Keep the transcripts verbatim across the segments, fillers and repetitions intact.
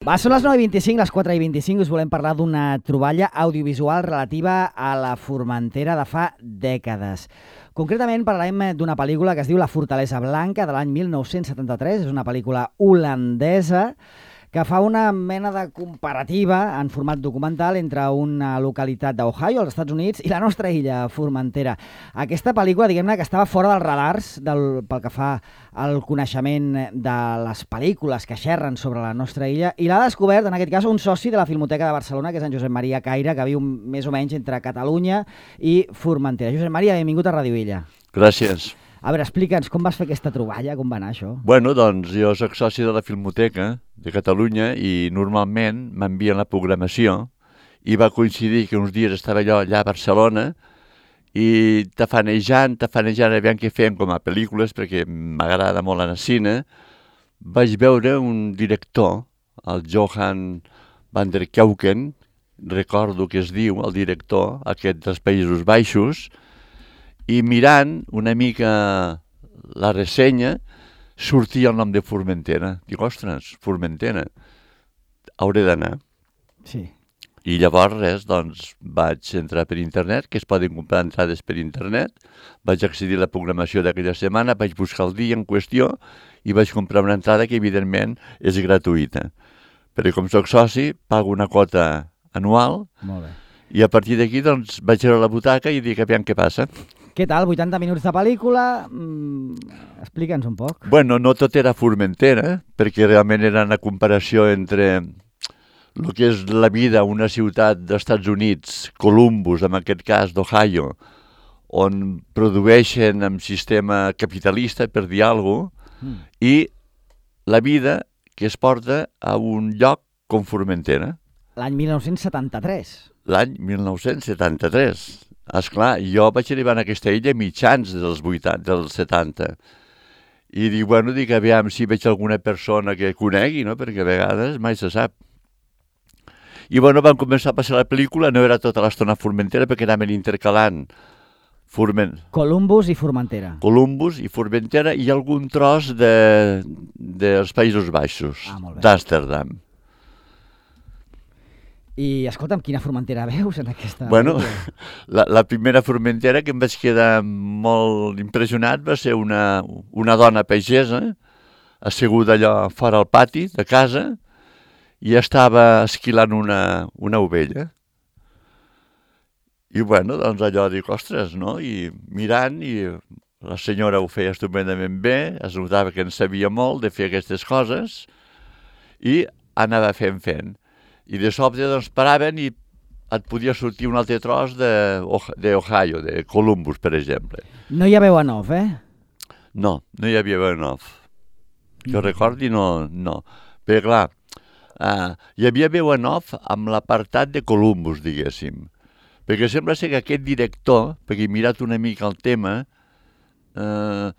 Va, són les nou i vint-i-cinc, les quatre i vint-i-cinc, us volem parlar d'una troballa audiovisual relativa a la Formentera de fa dècades. Concretament parlarem d'una pel·lícula que es diu La Fortalesa Blanca, de l'any mil nou-cents setanta-tres. És una pel·lícula holandesa que fa una mena de comparativa en format documental entre una localitat d'Ohio, als Estats Units, i la nostra illa, Formentera. Aquesta pel·lícula, diguem-ne, que estava fora dels radars del, pel que fa al coneixement de les pel·lícules que xerren sobre la nostra illa, i l'ha descobert, en aquest cas, un soci de la Filmoteca de Barcelona, que és en Josep Maria Caire, que viu més o menys entre Catalunya i Formentera. Josep Maria, benvingut a Ràdio Illa. Gràcies. A veure, explica'ns com vas fer aquesta troballa, com va anar això? Bueno, doncs jo soc soci de la Filmoteca de Catalunya i normalment m'envien la programació i va coincidir que uns dies estava jo allà a Barcelona i tafanejant, tafanejant, aviam què feien com a pel·lícules, perquè m'agrada molt anar al cine, vaig veure un director, el Johan van der Keuken, recordo que es diu, el director, aquest dels Països Baixos, i mirant una mica la ressenya sortia el nom de Formentera. Dic, ostres, Formentera, hauré d'anar. Sí. I llavors, res, doncs, vaig entrar per internet, que es poden comprar entrades per internet, vaig accedir a la programació d'aquella setmana, vaig buscar el dia en qüestió i vaig comprar una entrada que, evidentment, és gratuïta. Perquè com soc soci, pago una quota anual. Molt bé. I a partir d'aquí, doncs, vaig a la butaca i dic, aviam què passa. Què tal? vuitanta minuts de pel·lícula? Mm, explica'ns un poc. Bueno, no tot era Formentera, perquè realment era una comparació entre el que és la vida a una ciutat dels Estats Units, Columbus, en aquest cas d'Ohio, on produeixen en sistema capitalista, per dir alguna cosa, mm. i la vida que es porta a un lloc com Formentera. L'any mil nou-cents setanta-tres. L'any mil nou-cents setanta-tres. Esclar, jo vaig arribar a aquesta illa mitjans dels vuitanta, dels setanta. I dic, bueno, dic, aviam si veig alguna persona que conegui, no? Perquè a vegades mai se sap. I bueno, vam començar a passar la pel·lícula, no era tota l'estona Formentera, perquè anaven intercalant Forment... Columbus i Formentera. Columbus i Formentera i algun tros de, dels Països Baixos, ah, d'Amsterdam. I, escolta'm, quina Formentera veus en aquesta... Bueno, la, la primera Formentera que em vaig quedar molt impressionat va ser una, una dona pagesa, asseguda allò fora al pati de casa, i estava esquilant una, una ovella. I bueno, doncs allò dic, ostres, no? I mirant, i la senyora ho feia estupendament bé, es notava que en sabia molt de fer aquestes coses, i anava fent fent. I de sobte doncs paraven i et podia sortir un altre tros d'Ohio, de Columbus, per exemple. No hi ha veu en off, eh? No, no hi havia veu en off. Que mm. recordi, no, no. Perquè clar, uh, hi havia veu en off amb l'apartat de Columbus, diguéssim. Perquè sembla ser que aquest director, perquè he mirat una mica el tema, uh,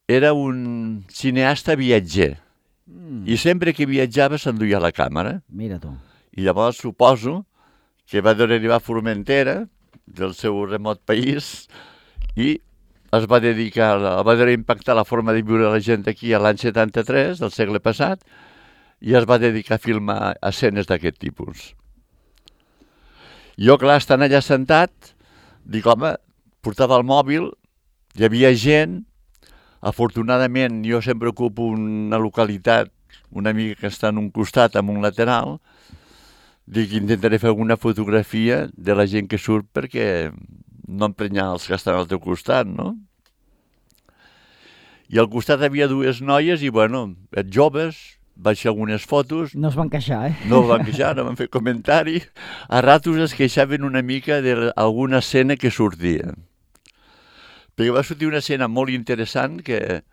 era un cineasta viatger. Mm. I sempre que viatjava s'enduia la càmera. Mira tu. I llavors suposo que va arribar a Formentera, del seu remot país, i es va dedicar, va impactar la forma de viure la gent aquí a l'any setanta-tres, del segle passat, i es va dedicar a filmar escenes d'aquest tipus. Jo, clar, estant allà sentat, dic, home, portava el mòbil, hi havia gent. Afortunadament, jo sempre ocupo una localitat una mica que està en un costat, en un lateral. Dic, intentaré fer alguna fotografia de la gent que surt perquè no emprenyar els que estan al teu costat, no? I al costat hi havia dues noies i, bueno, joves, vaig fer algunes fotos. No es van queixar, eh? No es van queixar, no van fer comentari. A ratos es queixaven una mica d'alguna escena que sortia. Perquè va sortir una escena molt interessant que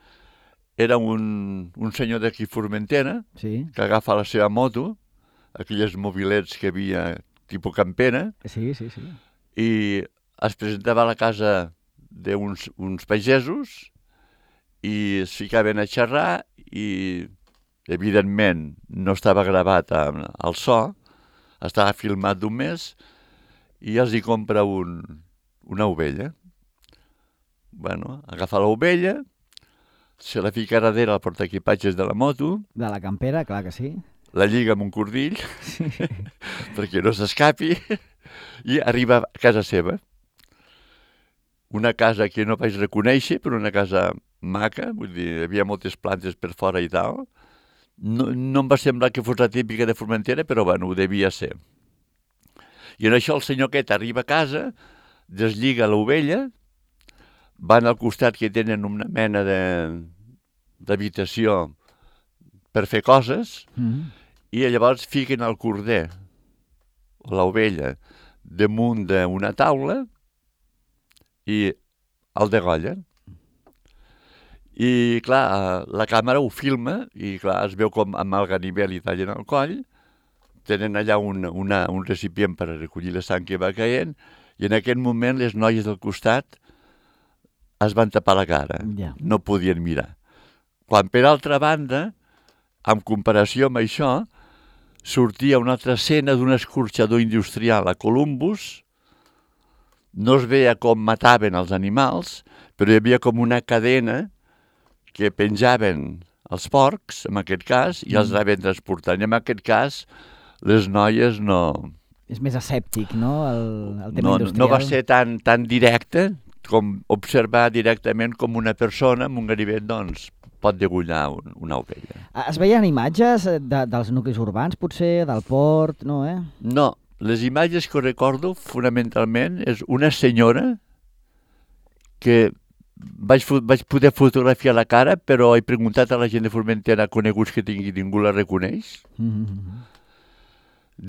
era un, un senyor d'aquí Formentera, sí, que agafa la seva moto, aquelles mobilets que havia tipus campera, sí, sí, sí, i es presentava a la casa d'uns uns pagesos i es ficaven a xerrar i, evidentment, no estava gravat al so, estava filmat d'un mes i els hi compra un, una ovella. Bueno, agafa l'ovella, se la fica darrere al portaequipatges de la moto. De la campera, clar que sí. la lliga amb un cordill, perquè no s'escapi, i arriba a casa seva. Una casa que no vaig reconèixer, però una casa maca, vull dir, hi havia moltes plantes per fora i tal. No, no em va semblar que fos la típica de Formentera, però bueno, ho devia ser. I en això el senyor aquest arriba a casa, deslliga l'ovella, van al costat que tenen una mena de d'habitació per fer coses, mm-hmm. i llavors fiquen el corder, o l'ovella, damunt d'una taula i el degollen. I, clar, la càmera ho filma i, clar, es veu com amb el ganivet li tallen el coll, tenen allà un, una, un recipient per recollir la sang que va caient i en aquest moment les noies del costat es van tapar la cara, yeah. no podien mirar. Quan, per altra banda, en comparació amb això, sortia una altra escena d'un escorxador industrial a Columbus, no es veia com mataven els animals, però hi havia com una cadena que penjaven els porcs, en aquest cas, i els anaven transportant. I en aquest cas, les noies no... És més escèptic, no?, el, el tema no, industrial. No va ser tan, tan directe com observar directament com una persona amb un ganivet, doncs, pot degollar un, una ovella. Es veien imatges de, dels nuclis urbans, potser, del port, no, eh? No, les imatges que recordo, fonamentalment, és una senyora que vaig, vaig poder fotografiar la cara, però he preguntat a la gent de Formentera coneguts que tingui, ningú la reconeix. Mm-hmm.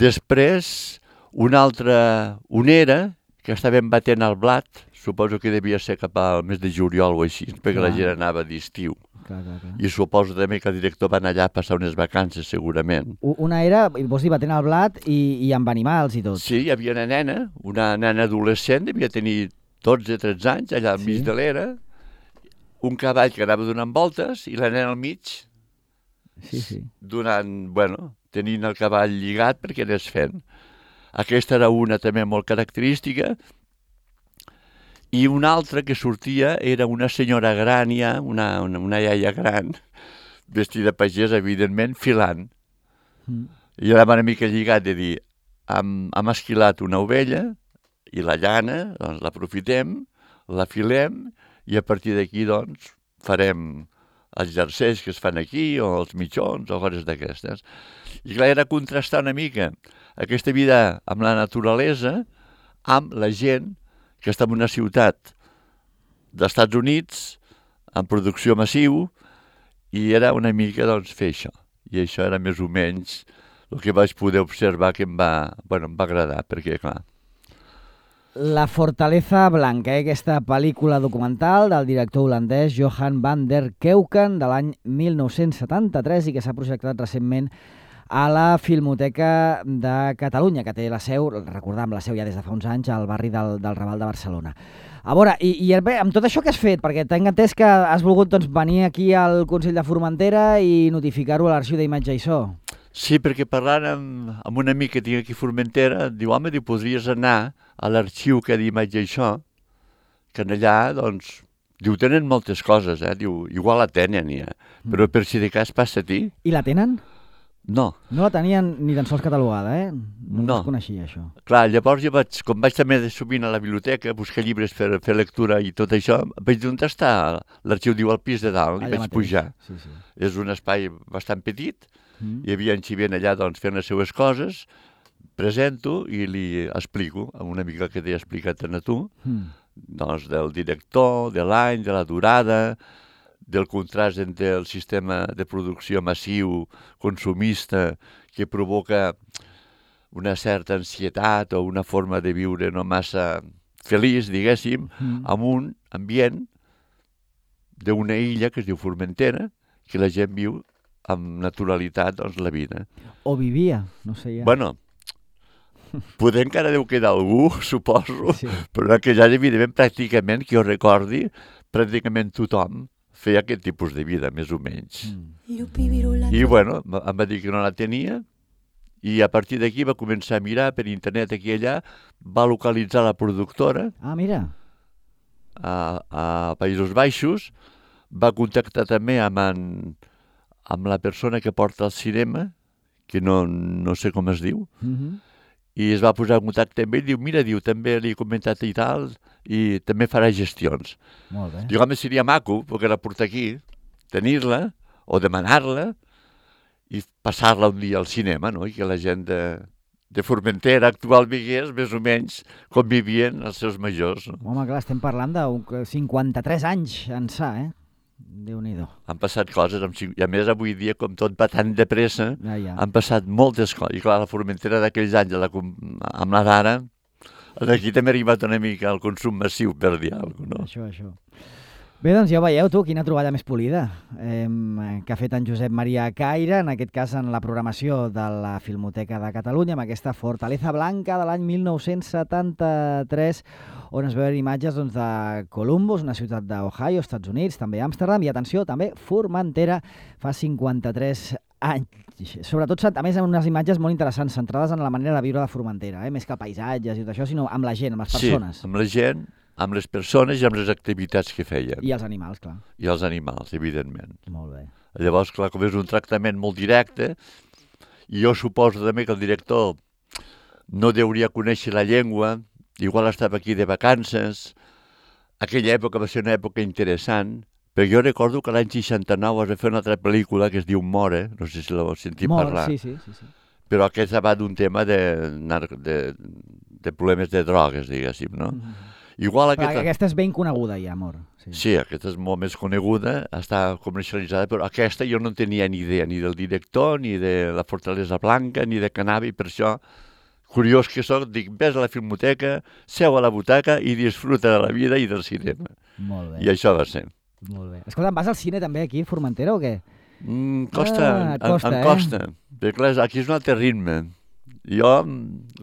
Després, una altra onera que estaven batent al blat, suposo que devia ser cap al mes de juliol o així, perquè clar. La gent anava d'estiu. Clar, clar, clar. I suposo també que el director va anar allà a passar unes vacances, segurament. Una era, vols dir, batent al blat i, i amb animals i tot. Sí, hi havia una nena, una nena adolescent, devia tenir dotze o tretze anys, allà al sí. mig de l'era, un cavall que anava donant voltes i la nena al mig, sí, sí. donant, bueno, tenint el cavall lligat perquè anés fent. Aquesta era una també molt característica. I una altra que sortia era una senyora gran ja, una, una, una iaia gran, vestida pagès, evidentment, filant. Mm. I anava una mica lligat de dir, hem, hem esquilat una ovella i la llana, doncs l'aprofitem, la filem i a partir d'aquí, doncs, farem els jerseis que es fan aquí o els mitjons o coses d'aquestes. I clar, era contrastar una mica aquesta vida amb la naturalesa amb la gent que està en una ciutat d'Estats Units, en producció massiu, i era una mica, doncs, fer això. I això era més o menys el que vaig poder observar que em va, bueno, em va agradar, perquè, clar... La Fortaleza Blanca, eh? Aquesta pel·lícula documental del director holandès Johan van der Keuken de l'any mil nou-cents setanta-tres i que s'ha projectat recentment a la Filmoteca de Catalunya, que té la seu, recordam, la seu ja des de fa uns anys, al barri del, del Raval de Barcelona. A veure, i, i bé, amb tot això que has fet, perquè tinc entès que has volgut doncs, venir aquí al Consell de Formentera i notificar-ho a l'Arxiu d'Imatge i So. Sí, perquè parlant amb, amb un amic que tinc aquí a Formentera, diu, home, diu, podries anar a l'arxiu que d'Imatge i So, que allà, doncs, diu, tenen moltes coses, eh? Diu, igual la tenen ja, però per si de cas passa a ti. I la tenen? No. No la tenien ni tan sols catalogada, eh? No, no. Es coneixia, això. Clar, llavors jo vaig, com vaig també sovint a la biblioteca, buscar llibres per fer lectura i tot això, vaig dir, on està? L'arxiu diu al pis de dalt, i vaig mateix. Pujar. Sí, sí. És un espai bastant petit, mm. hi havia en Xivent allà doncs, fent les seues coses, presento i li explico, una mica el que t'he explicat a tu, mm. doncs del director, de l'any, de la durada, del contrast entre el sistema de producció massiu, consumista, que provoca una certa ansietat o una forma de viure no massa feliç, diguéssim, mm. amb un ambient d'una illa que es diu Formentera, que la gent viu amb naturalitat, doncs, la vida. O vivia, no sé ja. Bueno, poder encara deu quedar algú, suposo, sí. Però que ja, evidentment, pràcticament, que jo recordi, pràcticament tothom feia aquest tipus de vida, més o menys. Mm. I, bueno, em va dir que no la tenia, i a partir d'aquí va començar a mirar per internet aquí i allà, va localitzar la productora. Ah, mira. A, a Països Baixos, va contactar també amb, en, amb la persona que porta el cinema, que no, no sé com es diu, Mhm. i es va posar en contacte amb ell, diu, mira, diu, també li he comentat i tal, i també farà gestions. Molt bé. Diu, home, seria maco poder-la portar aquí, tenir-la, o demanar-la, i passar-la un dia al cinema, no? I que la gent de, de Formentera actual vigués més o menys com vivien els seus majors. No? Home, clar, estem parlant de cinquanta-tres anys ençà, eh? Déu-n'hi-do. Han passat coses, amb, cinc- i a més avui dia, com tot va tan de pressa, Ja, ja. han passat moltes coses. I clar, la Formentera d'aquells anys, la, com- amb la d'ara, d'aquí també ha arribat una mica al consum massiu, per dir alguna cosa, no? Això, això. Bé, doncs ja ho veieu, tu, quina troballa més polida eh, que ha fet en Josep Maria Caire, en aquest cas en la programació de la Filmoteca de Catalunya, amb aquesta Fortaleza Blanca de l'any mil nou-cents setanta-tres, on es veuen imatges doncs, de Columbus, una ciutat d'Ohio, Estats Units, també Amsterdam, i atenció, també Formentera, fa cinquanta-tres anys. Sobretot, a més, amb unes imatges molt interessants, centrades en la manera de viure de Formentera, eh? Més que paisatges i tot això, sinó amb la gent, amb les persones. Sí, amb la gent, amb les persones i amb les activitats que feien. I els animals, clar. I els animals, evidentment. Molt bé. Llavors, clar, com és un tractament molt directe, i jo suposo també que el director no deuria conèixer la llengua, igual estava aquí de vacances. Aquella època va ser una època interessant, però jo recordo que l'any seixanta-nou es va fer una altra pel·lícula que es diu More, no sé si l'heu sentit Molt, parlar, sí, sí, sí, sí. però aquesta va d'un tema de, nar- de, de problemes de drogues, diguéssim, no? Mhm. Igual Però aquesta... aquesta és ben coneguda ja, amor. Sí. Sí, aquesta és molt més coneguda, està comercialitzada, però aquesta jo no en tenia ni idea, ni del director, ni de la Fortalesa Blanca, ni de Canavi, per això, curiós que soc, dic, vés a la filmoteca, seu a la butaca i disfruta de la vida i del cinema. Molt bé. I això va ser. Molt bé. Escolta, vas al cine també aquí a Formentera o què? Mm, costa, Ah, em- costa, em eh? costa. Perquè clar, aquí és un altre ritme. Jo,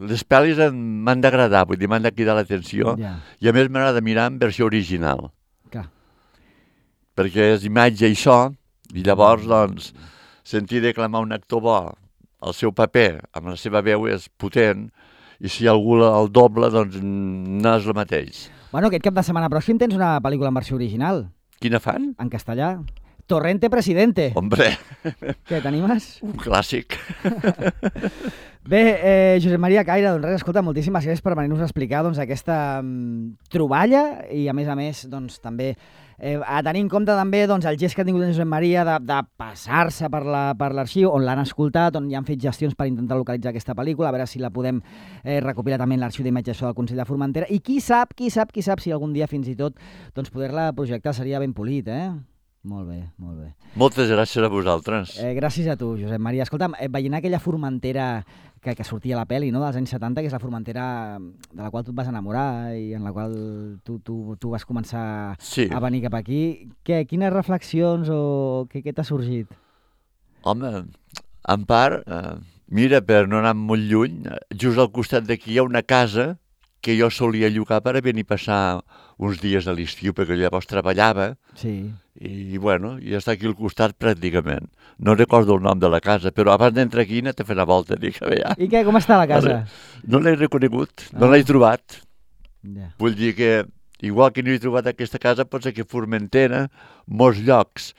les pel·lis em- m'han d'agradar, vull dir, m'han de cridar l'atenció, Ja, i a més m'agrada mirar en versió original, clar. perquè és imatge i so, i llavors, doncs, sentir declamar un actor bo el seu paper amb la seva veu és potent, i si algú el doble, doncs no és el mateix. Bueno, aquest cap de setmana pròxim tens una pel·lícula en versió original, Quina fan? en castellà. Torrente Presidente. Hombre, Què, t'animes? un clàssic. Bé, eh, Josep Maria Caire, doncs res, escolta, moltíssimes gràcies per venir-nos a explicar doncs, aquesta mm, troballa i, a més a més, doncs, també eh, a tenir en compte també doncs, el gest que ha tingut en Josep Maria de, de passar-se per la- per l'arxiu, on l'han escoltat, on ja han fet gestions per intentar localitzar aquesta pel·lícula, a veure si la podem eh, recopilar també en l'arxiu d'imatges del Consell de Formentera, i qui sap, qui sap, qui sap si algun dia fins i tot doncs, poder-la projectar seria ben polit, eh? Molt bé, molt bé. Moltes gràcies a vosaltres. Eh, gràcies a tu, Josep Maria. Escolta'm, eh, veient aquella Formentera que, que sortia a la pel·li, no?, dels anys setanta, que és la Formentera de la qual tu et vas enamorar i en la qual tu, tu, tu vas començar Sí. a venir cap aquí, què, quines reflexions o què, què t'ha sorgit? Home, en part, eh, mira, per no anar molt lluny, eh, just al costat d'aquí hi ha una casa que jo solia llogar per a venir a passar uns dies a l'estiu, perquè llavors treballava, Sí. i bueno, i està aquí al costat pràcticament. No recordo el nom de la casa, però abans d'entrar aquí he anat a fer una volta, dic, a veure, I què, com està la casa? no l'he reconegut, no Ah. l'he trobat. Ja. Vull dir que, igual que no he trobat aquesta casa, pot ser que Formentera, molts llocs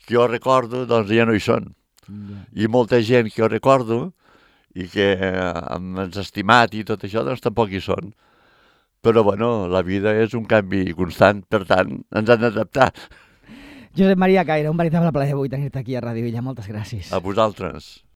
que jo recordo, doncs ja no hi són. Ja. I molta gent que jo recordo i que eh, m'has estimat i tot això, doncs tampoc hi són. Però, bueno, la vida és un canvi constant, per tant, ens han d'adaptar. Josep Maria Caire, un veritable plaer avui tenir-te aquí a Ràdio Illa. Moltes gràcies. A vosaltres.